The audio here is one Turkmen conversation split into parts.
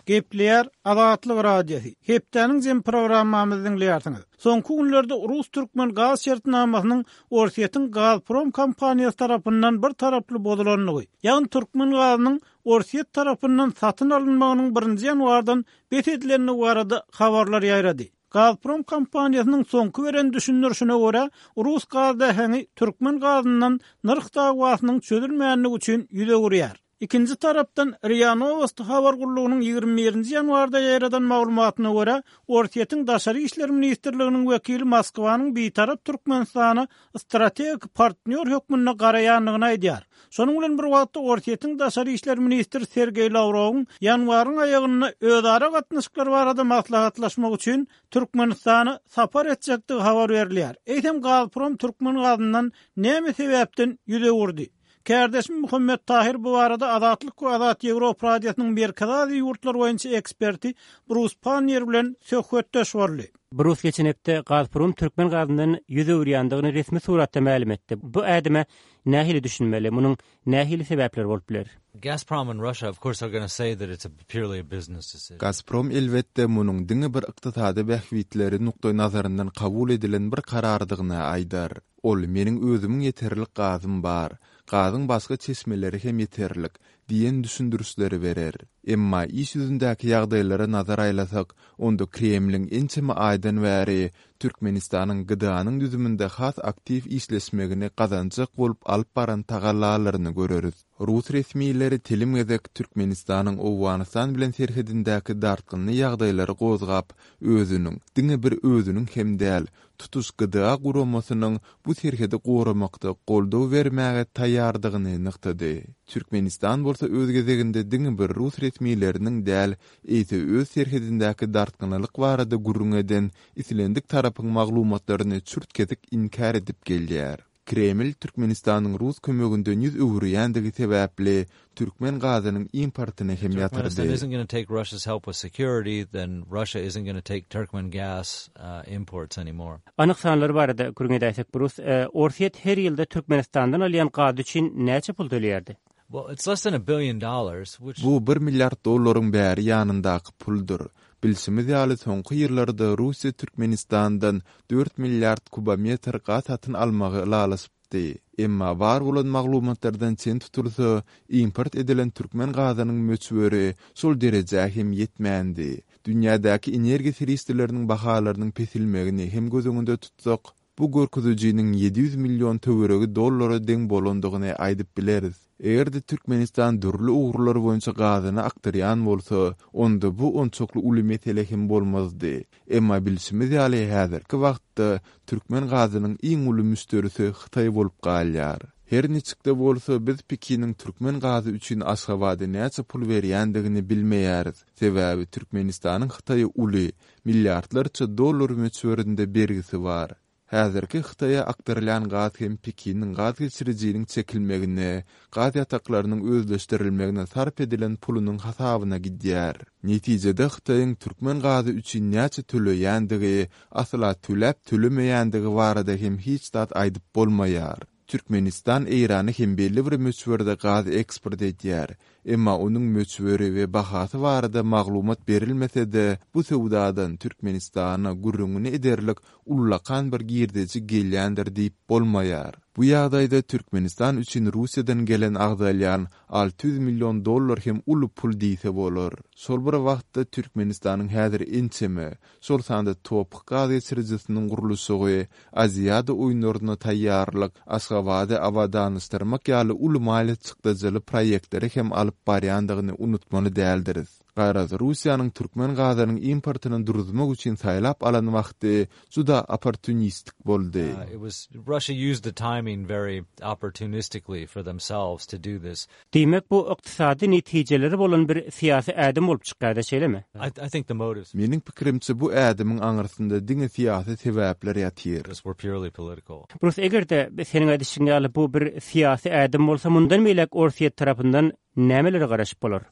Gepleýär Azatlyk Radiosy. Hepdäniň jemi programmamyzy diňleýärsiňiz. Soňky günlerde rus-türkmen gaz şertnamasynyň Orsýetiň Gazprom kompaniýasy tarapyndan bir taraply bozulandygy, ýagny türkmen gazynyň Orsýet tarapyndan satyn alynmagynyň birinji ýanwardan bes edilendigi barada habarlar ýaýrady. Gazprom kompaniýasynyň soňky beren düşündirişine görä, rus gaz läheňi türkmen gazyndan nyrh dawasynyň çözülmändigi üçin ýüz öwürýär. Ikinji tarapdan, RIA Nowosti habar gullugynyň 21 nji ýanwarda ýaýradan maglumatyna görä, Orsýetiň Daşary işler ministrliginiň wekili Moskwanyň bitarap Türkmenistana strategik partnýor hökmünde garaýandygyny aýdýar. Şonuň bilen bir wagtda, Orsýetiň daşary işler ministri Sergeý Lawrowyň ýanwaryň aýagynda özara gatnaşyklar barada maslahatlaşmak üçin Türkmenistana sapar etjekdigi habar berilýär. Eýsem, Gazprom türkmen gazyndan näme sebäpden ýüz öwürdi? Kärdeşim Muhammet Tahyr bu barada Azatlyk we Azat Ýewropa Radiosynyň Merkezi Aziýa ýurtlary boýunça eksperti Brus Panniýer bilen söhbetdeş boldy. Brus geçen hepde Gazprom türkmen gazyndan ýüz öwürýändigini resmi suratda mälim etdi. Bu ädime nähili düşünmeli? Munuň nähili sebäpleri bolup biler? Gazprom and Russia of course are gonna say that it's a purely a business decision. Gazprom elbetde munuň diňe bir ykdysady bähbitleri nukdaýnazaryndan kabul edilen bir karardygyny aýdar. Ol, Meniň özümiň ýeterlik gazym bar, gazyň başga çeşmeleri hem ýeterlik diýen düşündirişleri berer. Emma iş ýüzündäki ýagdaýlara nazar aýlasak, onda Kremliň ençeme aýdan bäri Türkmenistanyň GDA-nyň düzüminde has aktiw işleşmegini gazanjak bolup alyp baran tagallalaryny göreris. Rus resmileri telim gezek Türkmenistanyň Owganystan bilen serhedindäki dartgynly ýagdaýlary gozgap, özüniň, diňe bir özüniň hem däl, tutuş GDA guramasynyň bu serhedi goramakda goldaw bermäge taýýardygyny nygtady. Türkmenistan bolsa öz gezeginde diňe bir rus resmileriniň däl, eýse öz serhedindäki dartgynlylyk barada gürrüň eden islendik tarapyň maglumatlaryny çürt-kesik inkär edip gelýär. Kreml Türkmenistanyň rus kömeginden ýüz öwürýändigi sebäpli türkmen gazynyň importyny hem ýatyrdy. Anyk sanlar barada gürrüň edäýsek, Brus, Orsýet her ýylda Türkmenistandan alýan gazy üçin näçe pul töleýärdi? Bu bir milliard dollaryň bäri ýanyndaky puldur. Bilşimiz ýaly, soňky ýyllarda Russiýa Türkmenistandan dört milliard kubometr gaz satyn almagy ylalaşypdy. Emma bar bolan maglumatlardan çen tutulsa, import edilen türkmen gazynyň möçberi şol derejä hem ýetmändi. Dünýädäki energiýa serişdeleriniň bahalarynyň peselmegini hem göz öňünde tutsak, Bu görkezijiniň 700 million töweregi dollara deň bolandygyny aýdyp bileris. Eger-de Türkmenistan dürli ugurlar boýunça gazyny akdyrýan bolsa, onda bu onçakly uly mesele hem bolmazdy. Emma bilşimiz ýaly häzirki wagtda türkmen gazynyň iň uly müşderisi Hytaý bolup galýar. Her niçik-de bolsa, biz Pekiniň türkmen gazy üçin Aşgabada näçe pul berýändigini bilmeýäris. Sebäbi Türkmenistanyň Hytaýa uly, milliardlarça dollar möçberinde bergisi bar. Häzirki Hytaýa akdyrylýan gaz hem Pekiniň gaz geçirijiniň çekilmegine, gaz ýataklarynyň özleşdirilmegine sarp edilen pulunyň hasabyna gidýär. Netijede Hytaýyň türkmen gazy üçin näçe töleýändigi, asla töläp-tölemeýändigi barada hem hiç zat aýdyp bolmaýar. Türkmenistan Eýrana hem belli bir möçberde gaz eksport edýär. Emma onuň möçberi we bahasy barada maglumat berilmese-de, bu söwdadan Türkmenistana gürrüňini ederlik ullakan bir girdeji gelýändir diýip bolmaýar. Bu ýagdaýda Türkmenistan üçin Russiýadan gelen agzalýan 600 million dollar hem uly pul diýse bolar. Şol bir wagtda Türkmenistanyň häzir ençeme, şol sanda TOPH gaz geçirijisiniň gurluşygy, Aziada oýunlaryna taýýarlyk, Aşgabady abadanlaşdyrmak ýaly uly maliýe çykdajyly proýektleri hem alyp barýandygyny unutmaly däldiris. Garaz, Russiýanyň türkmen gazynyň importyny duruzmak üçin saýlap alan wagty juda opportunistik boldy. Diýmek, bu ykdysady netijeleri bolan bir syýasy ädim bolup çykýar-da, şeýlemi? Meniň pikirimçe, bu ädimiň aňyrsynda diňe syýasy sebäpler ýatyr. Brus, eger-de, seniň aýdyşyň ýaly, bu bir syýasy ädim bolsa, mundan beýläk Orsýet tarapyndan nämelere garaşyp bolar?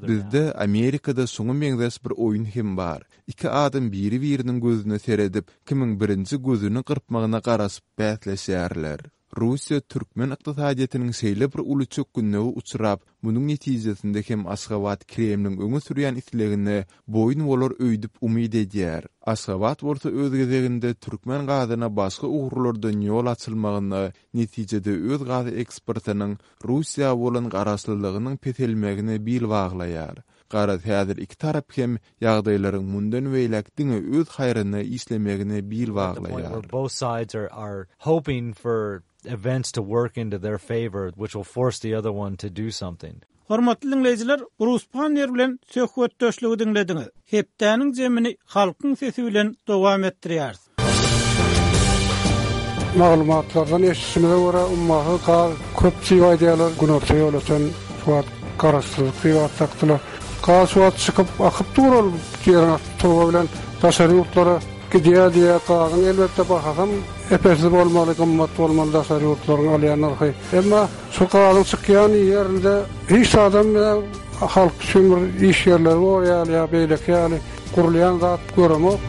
Bizde, Amerikada şuňa meňzeş bir oýun hem bar. Iki adam biri-biriniň gözüne seredip, kimiň birinji gözüni gyrpmagyna garaşyp bäsleşýärler. Russiýa türkmen ykdysadyýetiniň şeýle bir uly çökgünlige uçrap, munuň netijesinde hem Aşgabat Kremliň öňe sürýän islegine boýun bolar öýdüp umyt edýär. Aşgabat bolsa öz gezeginde türkmen gazyna başga ugurlardan ýol açylmagyna, netijede öz gaz eksportynyň Russiýa bolan garaşlylygynyň peselmegine bil baglaýar. Garaz, häzir iki tarap hem ýagdaýlaryň mundan beýläk diňe öz haýryna işlemegine bil baglaýar. Hormatly diňleýjiler, Brus Pannier bilen söhbetdeşligi diňlediňiz. Hepdäniň jemini Halkyň sesi bilen dowam etdirýäris. Maglumatlardan eşidişimize görä, ummasyz gaz köp diýip aýdýarlar. Günorta Ýolöten şu wagt Garaşsyzlyk diýip at dakdylar. Gaz şu wagt çykyp, akyp dur ol ýeriň asty turba bilen daşary ýurtlara gidýär diýýär. Gazyň elbetde bahasam epesli bolmaly, gymmat bolmaly daşary ýurtlaryň alýan nyrhy. Emma şu gazyň çykýan ýerinde hiç zadam halk üçin bir iş ýerleri bor ýaly ýa beýleki ýaly gurulýan zat göremok.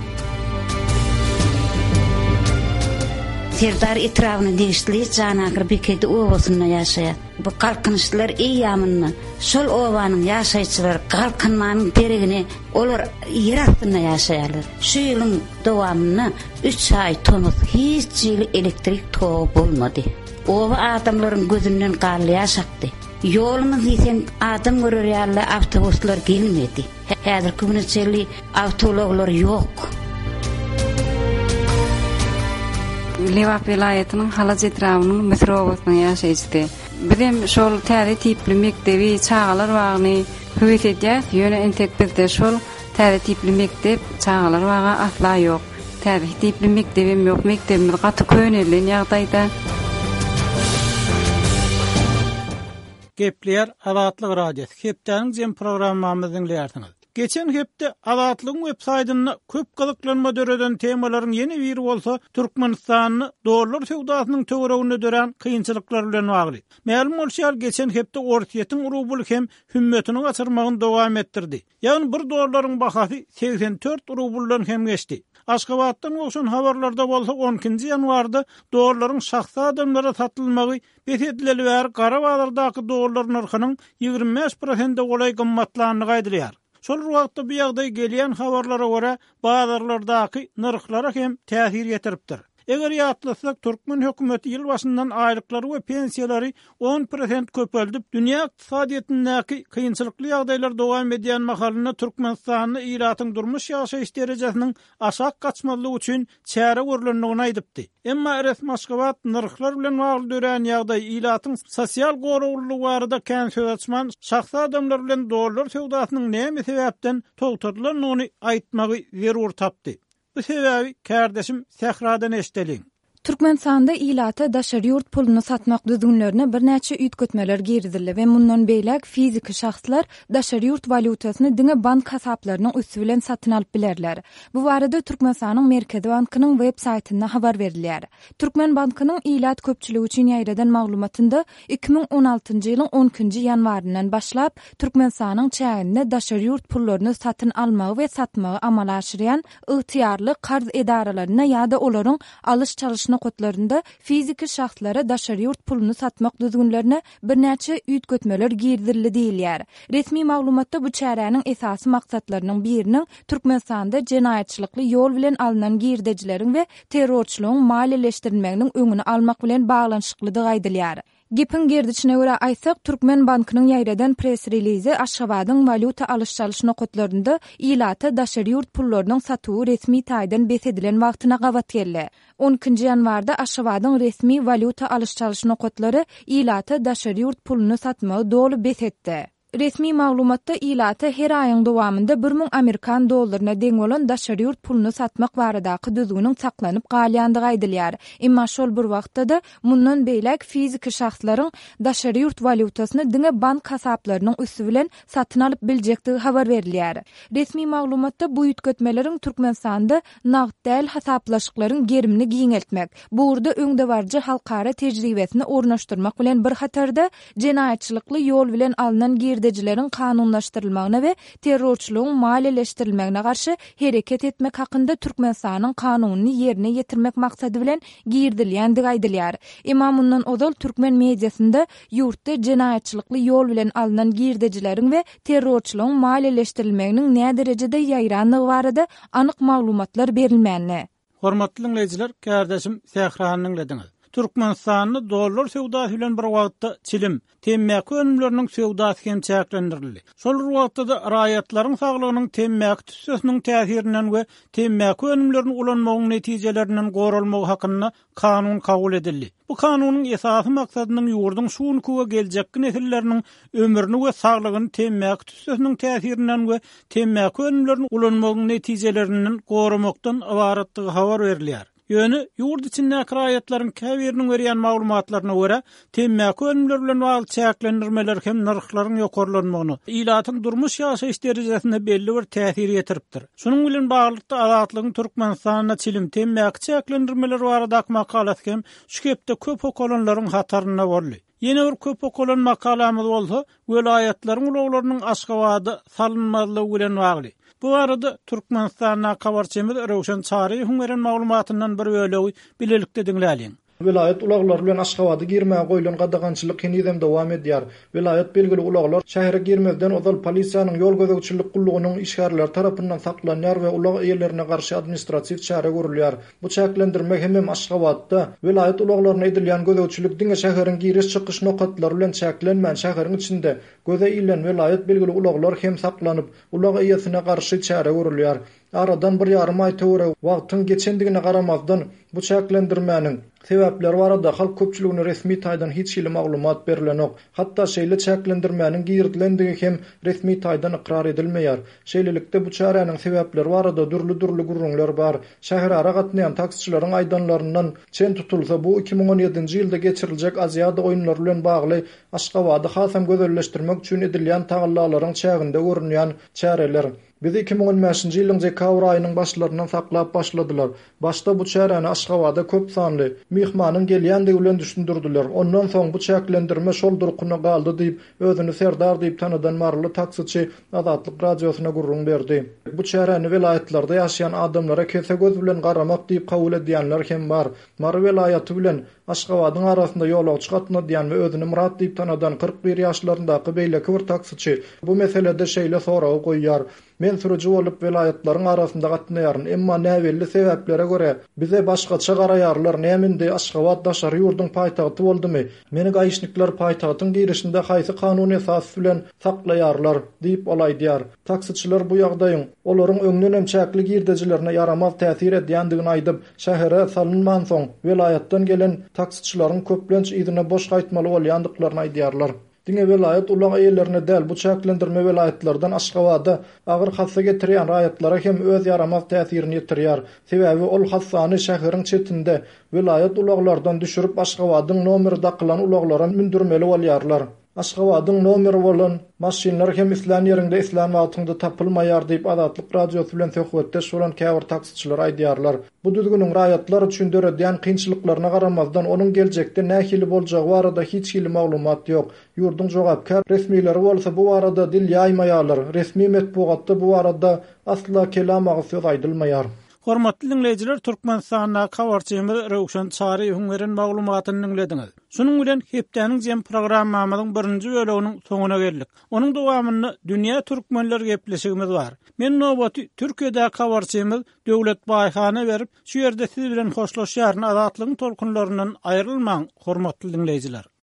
Serdar etrabyna degişli Janagyr Bekedi obasynda ýaşaýar. Bu galkynyşlar eýýamynda şol obanyň ýaşaýjylary galkynmanyň deregine olar ýer astynda ýaşaýarlar. Şu ýylyň dowamynda üç aý tomus hiç hili elektrik togy bolmady. Oba adamlaryň gözünden garly ýaş akdy. Ýolumyz diýseň adam görer ýaly awtobuslar gelmedi. Häzirki güne çenli awtoulaglar ýok. Lebap welaýatynyň Halaç etrabynyň Müsür obasynyň ýaşaýjysy. Bizem şol täze tipli mekdebi, çagalar bagyny höwes edýäs, ýöne entek bizde şol täze tipli mekdep, çagalar bagy asla ýok. Täze tipli mekdebem ýok, mekdebimiz gaty könelen ýagdaýda. Gepleýär Azatlyk Radiosy, Hepdäniň jemi programmamyzy diňleýärsiňiz. Geçen hepde Azatlygyň web saýtynda köp gyzyklanma döreden temalaryň ýene biri bolsa Türkmenistanda dollar söwdasynyň töwereginde dörän kynçylyklar bilen bagly. Mälim bolşy ýaly, geçen hepde Orsýetiň rubly hem hümmetini gaçyrmagyny dowam etdirdi. Ýagny bir dollaryň bahasy 84 rubldan hem geçdi. Aşgabatdan gowşan habarlarda bolsa on ikinji ýanwarda dollaryň şahsy adamlara satylmagy Bes edileli bäri gara bazardaky dollar nyrhynyň 25 prosente golaý gymmatlandygy aýdylýar. Şol bir wagtda bu ýagdaý gelýän habarlara görä, bazarlardaky nyrhlara hem täsir ýetiripdir. Eger ýatlasak, türkmen hökümeti ýyl başyndan aýlyklary we pensiýalary on prosent köpeldip, dünýä ykdysadyýetindäki kynçylykly ýagdaýlar dowam edýän mahalynda Türkmenistanda ilatyň durmuş-ýaşaýyş derejesiniň aşak gaçmazlygy üçin çäre görlendigini aýdypdy. Emma resmi Aşgabat nyrhlar bilen bagly dörän ýagdaý, ilatyň sosial goraglylygy barada kän söz açman, şahsy adamlar bilen dollar söwdasynyň näme sebäpden togtadylandygyny aýtmagy zerur tapdy. Bu sebäbi kärdeşim Sähradan eşideliň. Türkmenistanda ilata daşary ýurt puluny satmak düzgünlerine birnäçe üýtgetmeler girizildi we mundan beýläk fiziki şahslar daşary ýurt walýutasyny diňe bank hasaplarynyň üsti bilen satyn alyp bilerler. Bu barada Türkmenistanyň Merkezi bankynyň web saýtynda habar berilýär. Türkmen bankynyň ilat köpçüligi üçin ýaýradan maglumatynda 2016-njy ýylyň on ikinji ýanwaryndan başlap Türkmenistanyň çäginde daşary ýurt pullaryny satyn almagy we satmagy amala aşyrýan ygtyýarly karz edaralarynda ýa-da olaryň alyş-çalyş nokatlarynda fiziki şahslara daşary ýurt puluny satmak düzgünlerine birnäçe üýtgetmeler girizildi diýilýär. Resmi maglumatda bu çäräniň esasy maksatlarynyň biriniň Türkmenistanda jenaýatçylykly ýol bilen alnan girdejileriň we terrorçylygyň maliýeleşdirilmeginiň öňüni almak bilen baglanyşyklydygy aýdylýar. Gepiň gerdişine görä aýtsak, Türkmen bankynyň ýaýradan press-relizi Aşgabadyň walýuta alyş-çalyş nokatlarynda ilata daşary ýurt pullarynyň satuwy resmi taýdan bes edilen wagtyna gabat geldi. On ikinji ýanwarda Aşgabadyň resmi walýuta alyş-çalyş nokatlary ilata daşary ýurt puluny satmagy doly bes etdi. Resmi maglumatda ilata her aýyň dowamynda 1000 amerikan dollaryna deň bolan daşary ýurt puluny satmak baradaky düzgüniň saklanyp galýandygy aýdylýar. Emma şol bir wagtda-da, mundan beýläk fiziki şahslaryň daşary ýurt walýutasyny diňe bank hasaplarynyň üsti bilen satyn alyp biljekdigi habar berilýär. Resmi maglumatda bu üýtgetmeleriň Türkmenistanda nagt däl hasaplaşyklaryň gerimini giňeltmek, bu ugurda öňdebaryjy halkara tejribesini ornaşdyrmak bilen bir hatarda, jenaýatçylykly ýol bilen alnan girdejileri. girdejileriň kanunlaşdyrylmagyna we terrorçylygyň maliýeleşdirilmegine garşy hereket etmek hakynda Türkmenistanyň Kanunyny ýerine ýetirmek maksady bilen girizilýändigi aýdylýar. Emma mundan ozal türkmen mediasynda ýurtda jenaýatçylykly ýol bilen alnan girdejileriň we terrorçylygyň maliýeleşdirilmeginiň näderejede ýaýrandygy barada anyk maglumatlar berilmändi. Hormatly diňleýjiler, kärdeşim Sährany diňlediňiz. Türkmenistanda dollar söwdasy bilen bir wagtda çilim, temmäki önümleriniň söwdasy hem çäklendirildi. Şol bir wagtda-da raýatlaryň saglygynyň temmäki tüssesiniň täsirinden we temmäki önümlerini ulanmagyň netijelerinden goralmagy hakynda kanun kabul edildi. Bu kanunyň esasy maksadynyň ýurduň şu günki we geljekki nesilleriniň ömrüni we saglygyny temmäki tüssesiniň täsirinden we temmäki önümlerini ulanmagyň netijelerinden goramakdan ybaratdygy habar berilýär. Ýöne, ýurt içindäki raýatlaryň käbiriniň berýän maglumatlaryna görä, temmäki önümleri bilen bagly çäklendirmeler hem nyrhlaryň ýokarlanmagyna, ilatyň durmuş-ýaşaýyş derejesine belli bir täsir ýetiripdir. Şunuň bilen baglylykda, Azatlygyň Türkmenistanda çilim, temmäki çäklendirmeleri baradaky makalasy hem şu hepde köp okalanlaryň hatarynda boldy. Ýene bir köp okalan makalamyz bolsa, welaýatlaryň ulaglarynyň Aşgabada salynmazlygy bilen bagly. Bu barada Türkmenistandaky habarçymyz Röwşen Çaryýewiň beren maglumatyndan bir bölegi bilelikde diňläliň. Welaýat ulaglary bilen Aşgabada girmäge goýlan gadagançylyk henizem dowam edýär. Welaýat belgili ulaglar şähere girmezden ozal polisiýanyň ýol gözegçilik gullugynyň işgärleri tarapyndan saklanýar we ulag eýelerine garşy administratiw çäre görülýär. Bu çäklendirme hemem Aşgabatda welaýat ulaglaryna edilýän gözegçilik diňe şäheriň giriş-çykyş nokatlary bilen çäklenmän, şäheriň içinde göze ilen welaýat belgili ulaglar hem saklanyp, ulag eýesine garşy çäre görülýär. Aradan bir ýarym aý töweregi wagtyň geçendigine garamazdan, bu çäklendirmäniň sebäpleri barada halk köpçüligine resmi taýdan hiç hili maglumat berlenok. Hatda şeýle çäklendirmäniň girizilendigi hem resmi taýdan ykrar edilmeýär. Şeýlelikde, bu çäräniň sebäpleri barada dürli-dürli gürrüňler bar. Şäherara gatnaýan taksiçileriň aýdanlaryndan çen tutulsa, bu 2017-nji ýylda geçiriljek Aziada oýunlary bilen bagly Aşgabady hasam gözelleşdirmek üçin edilýän tagallalaryň çäginde görünýän çäreler. Bizi 2015-nji ýylyň dekabr aýynyň başlaryndan saklap başladylar. Başda bu çäräni Aşgabada köp sanly myhmanyň gelýändigi bilen düşündirdiler. Ondan soň bu çäklendirme şol durkuna galdy diýip, özüni Serdar diýip tanadan maryly taksiçi Azatlyk Radiosyna gürrüň berdi. Bu çäräni welaýatlarda ýaşaýan adamlara kese göz bilen garamak diýip kabul edýänler hem bar. Mary welaýaty bilen Aşgabadyň arasynda ýolagçy gatnadýan we özüni Myrat diýip tanadan 41 ýaşlaryndaky beýleki bir taksiçi bu meselede şeýle soragy goýýar, Men sürüji bolup welaýatlaryň arasynda gatnaýaryn, emma näbelli sebäplere görä, bize başgaça garaýarlar, näme indi Aşgabat daşary ýurduň paýtagty boldumy? Meni gaişnikler paýtagtyň girişinde haýsy kanun esas bilen saklaýarlar? diýip, ol aýdýar. Taksiçiler bu ýagdaýyň olaryň öňdenem çäkli girdejilerine ýaramaz täsir edýändigini aýdyp, şähere salynmansoň, welaýatdan gelen taksiçileriň köplenç yzyna boş gaýtmaly bolýandyklaryny aýdýarlar. Diňe welaýat ulag eýelerine däl, bu çäklendirme welaýatlardan Aşgabada agyr hassa getirýän raýatlara hem öz ýaramaz täsirini ýetirýär. Sebäbi ol hassany şäheriň çetinde, welaýat ulaglardan düşürip Aşgabadyň nomeri dakylan ulaglara mündürmeli bolýarlar. Aşgabadyň nomeri bolan maşynlar hem islän ýeriňde islän wagtyňda tapylmaýar diýip Azatlyk Radiosy bilen söhbetdeş bolan käbir taksiçiler aýdýarlar. Bu düzgüniň raýatlar üçin döredýän kynçylyklaryna garamazdan, onuň geljekde nähili boljagy barada hiç hili maglumat ýok. Ýurduň jogapkär resmileri bolsa bu barada dil ýaýmaýarlar, resmi metbugatda bu barada asla kelam agyz söz aýdylmaýar. Hormatly diňleýjiler, Türkmenistandaky habarçymyz Röwşen Çaryýewiň beren maglumatyny diňlediňiz. Şunuň bilen hepdäniň jem programmamyzyň birinji böleginiň soňuna geldik. Onuň dowamynda Dünýä türkmenleri gepleşigimiz bar. Men nobaty Türkiýedäki habarçymyz Döwlet Baýhana berip, şu ýerde siz bilen hoşlaşýaryn. Azatlygyň tolkunlaryndan aýrylmaň, hormatly diňleýjiler!